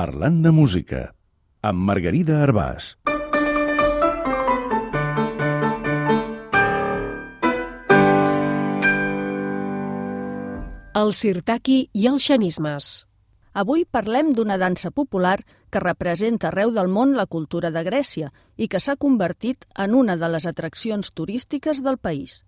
Parlant de música, amb Margarida Arbàs. El sirtaki i els xanismes. Avui parlem d'una dansa popular que representa arreu del món la cultura de Grècia i que s'ha convertit en una de les atraccions turístiques del país.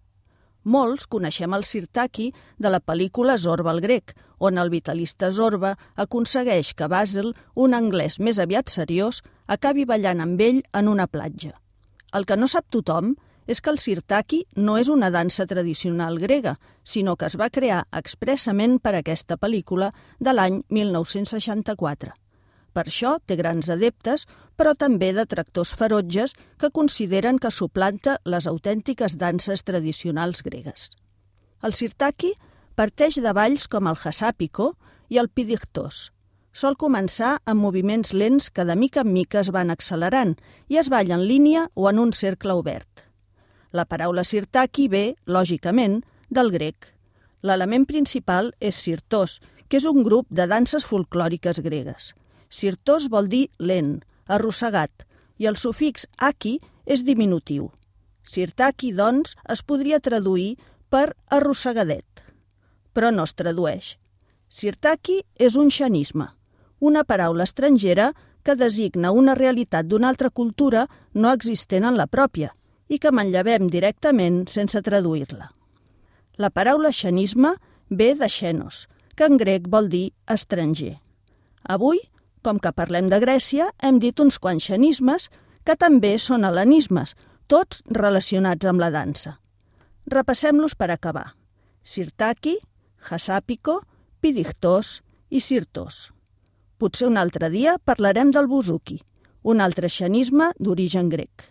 Molts coneixem el sirtaki de la pel·lícula Zorba el grec, on el vitalista Zorba aconsegueix que Basil, un anglès més aviat seriós, acabi ballant amb ell en una platja. El que no sap tothom és que el sirtaki no és una dansa tradicional grega, sinó que es va crear expressament per aquesta pel·lícula de l'any 1964. Per això té grans adeptes, però també detractors ferotges que consideren que suplanta les autèntiques danses tradicionals gregues. El sirtaki parteix de balls com el hasapiko i el pidiktos. Sol començar amb moviments lents que de mica en mica es van accelerant i es balla en línia o en un cercle obert. La paraula sirtaki ve, lògicament, del grec. L'element principal és sirtos, que és un grup de danses folclòriques gregues. Sirtos vol dir lent, arrossegat, i el sufix aki és diminutiu. Sirtaki, doncs, es podria traduir per arrossegadet, però no es tradueix. Sirtaki és un xanisme, una paraula estrangera que designa una realitat d'una altra cultura no existent en la pròpia, i que manllevem directament sense traduir-la. La paraula xanisme ve de xenos, que en grec vol dir estranger. Avui, com que parlem de Grècia, hem dit uns quants xanismes que també són hel·lenismes, tots relacionats amb la dansa. Repassem-los per acabar. Sirtaki, hasapiko, pidiktos i sirtos. Potser un altre dia parlarem del buzuki, un altre xanisme d'origen grec.